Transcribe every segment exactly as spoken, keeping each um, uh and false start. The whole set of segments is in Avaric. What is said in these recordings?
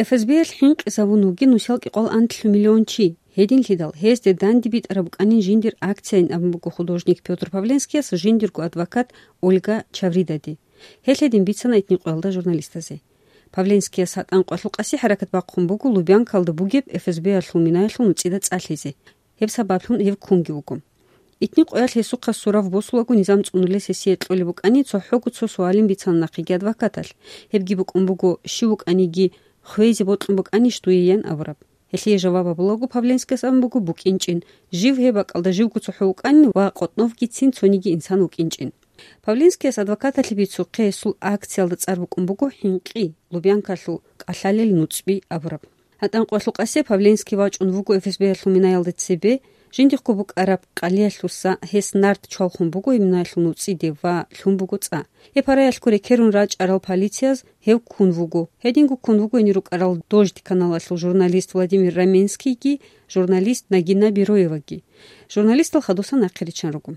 ФСБ-ялъ хӀинкъизабун вугин нусал кӀикъоялда анлъго миллион чи. Гьединлъидал гьезде данде битӀараб букӀанин жиндир акцияйин абун буго художник Пётр Павленскияс жиндирго адвокат Ольга Чавридаде. Гьелъ гьедин бицана итни къоялда журналистазе. Павленскияс гьатӀан къоялъул къаси хӀаракат бахъун буго Лубянкалда бугеб ФСБ-ялъул минаялъул нуцӀида цӀа лъезе. Гьеб сабаблъун гьев ккунги вуго. Итни къоялъ гьесухъа сурав босулаго низам цӀунулес гьесие кьолеб букӀани, цохӀого цо суалин бицана нахъеги адвокаталъ. Гьебги букӀун буго, щив вукӀаниги хвезе бокьун букӀанищ дуе ян абураб. Гьелъие жаваб гьабулаго Павленскияс абун буго букӀинчӀин, жив гьеб бакӀалда живго цохӀо вукӀанин ва къотӀновгицин цониги инсан вукӀинчӀин. Павленскияс адвокаталъе бицухъе гьесул акциялда цӀар букӀун буго «ХӀинкъи, Лубянкалъул кӀалъалел нуцӀби» абураб. ГьатӀан къоялъул къасе Павленский вачӀун вуго ФСБ-ялъул минаялда цебе, жиндихъго букӀараб къалиялъуса гьес нарт чвалхун буго гьеб минаялъул нуцӀиде ва лъун буго цӀа. Гьеб гьараялъго рекерун рачӀарал полицияз гьев ккун вуго. Гьединго ккун вуго гьенир рукӀарал «Дождь» каналалъул журналист Владимир Раменскийги, журналист Нагина Бероеваги. Журналистал хадусан нахъе риччан руго.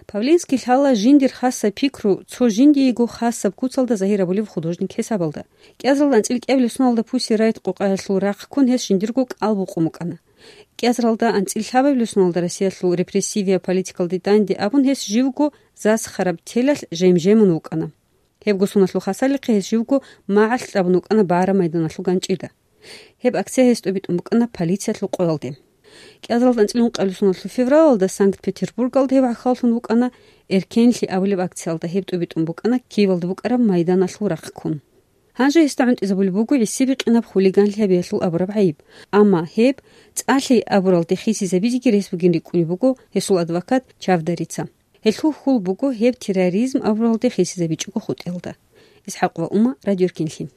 Павленский лъала жиндир хасаб пикру цо жиндиего хасаб куцалда загьир гьабулев художник хӀисабалда. КӀиазаралда анцӀила кӀиабилеб соналда Pussy Riot къокъаялъул рахъ ккун гьес жиндирго кӀал букъун букӀана. КӀиазаралда анцӀила лъабабилеб соналда Россиялъул репрессивияб политикалде данде абун гьес живго засхараб телалъ жем-жемун вукӀана. Гьебго соналъул хасалихъе гьес живго магӀалъ кьабун вукӀана Баара майданалъул ганчӀида. Гьеб акция гьес тӀубитӀун букӀана полициялъул къоялде. КӀиазаралда анцӀила ункъабилеб соналъул февралалда Санкт-Петербургалда гьев гӀахьаллъун вукӀана, «Эркенлъи» абулеб акциялда гьеб тӀубитӀун букӀана Киевалда букӀараб майданалъул рахъ ккун. Гьанже гьесда гӀунтӀизабулеб буго гӀисибикъинаб хулиганлъи гьабиялъул абураб гӀайиб. Амма гьеб цӀалъи абуралде хисизабизеги рес бугин рикӀкӀунеб буго гьесул адвокат Чавдарица. Гьелъул хьул буго гьеб терроризм абуралде хисизабичӀого хутӀиялда. ИсхӀакъ ва Ума, Радио Эркенлъи.